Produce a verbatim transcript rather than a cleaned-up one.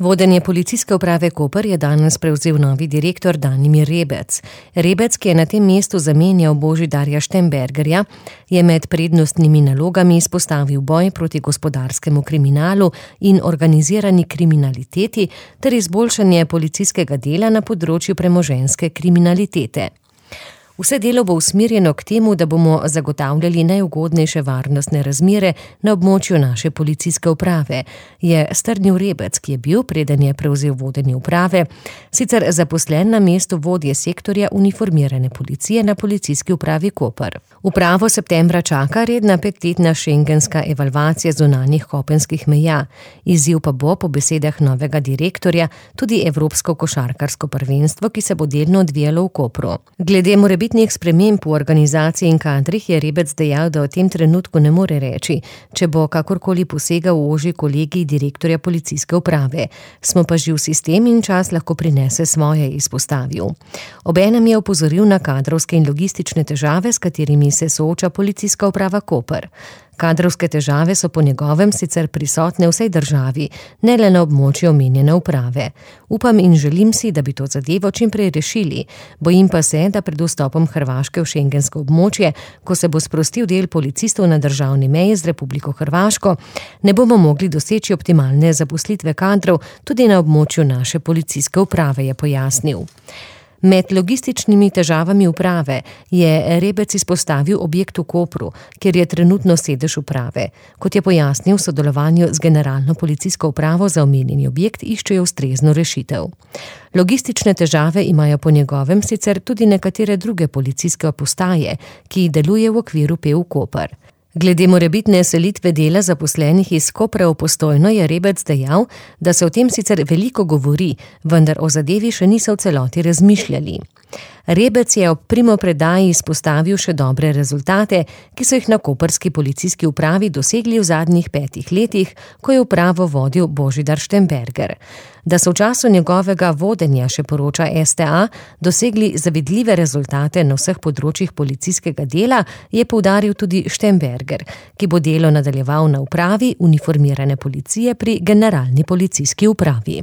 Vodenje policijske uprave Koper je danes prevzel novi direktor Danimir Rebec. Rebec, ki je na tem mestu zamenjal Božidarja Štembergerja, je med prednostnimi nalogami izpostavil boj proti gospodarskemu kriminalu in organizirani kriminaliteti ter izboljšanje policijskega dela na področju premoženjske kriminalitete. Vse delo bo usmerjeno k temu, da bomo zagotavljali najugodnejše varnostne razmere na območju naše policijske uprave, je strnil Rebec, ki je bil, preden je prevzel vodenje uprave, sicer zaposlen na mestu vodje sektorja uniformirane policije na policijski upravi Koper. Upravo septembra čaka redna petletna šengenska evalvacija zunanjih kopenskih meja. Izziv pa bo po besedah novega direktorja tudi Evropsko košarkarsko prvenstvo, ki se bo delno odvijalo v Kopru. Glede morebitnih sprememb v organizaciji in kadrih je Rebec dejal, da v tem trenutku ne more reči, če bo kakorkoli posegal v ožji kolegij direktorja policijske uprave. Smo pa živ sistem in čas lahko prinese svoje, izpostavil. Obenem je opozoril na kadrovske in logistične težave, s katerimi se sooča policijska uprava Koper. Kadrovske težave so po njegovem sicer prisotne v vsej državi, ne le na območju omenjene uprave. Upam in želim si, da bi to zadevo čim prej rešili. Bojim pa se, da pred vstopom Hrvaške v šengensko območje, ko se bo sprostil del policistov na državni meji z Republiko Hrvaško, ne bomo mogli doseči optimalne zaposlitve kadrov tudi na območju naše policijske uprave, je pojasnil. Med logističnimi težavami uprave je Rebec izpostavil objekt v Kopru, kjer je trenutno sedež uprave. Kot je pojasnil, v sodelovanju z generalno policijsko upravo za omenjeni objekt iščejo ustrezno rešitev. Logistične težave imajo po njegovem sicer tudi nekatere druge policijske postaje, ki deluje v okviru P U Koper. Glede morebitne selitve dela zaposlenih iz Kopra v Postojno je Rebec dejal, da se o tem sicer veliko govori, vendar o zadevi še niso v celoti razmišljali. Rebec je ob primopredaji izpostavil še dobre rezultate, ki so jih na koprski policijski upravi dosegli v zadnjih petih letih, ko je upravo vodil Božidar Štemberger. Da so v času njegovega vodenja, še poroča S T A, dosegli zavidljive rezultate na vseh področjih policijskega dela, je poudaril tudi Štemberger, ki bo delo nadaljeval na upravi uniformirane policije pri generalni policijski upravi.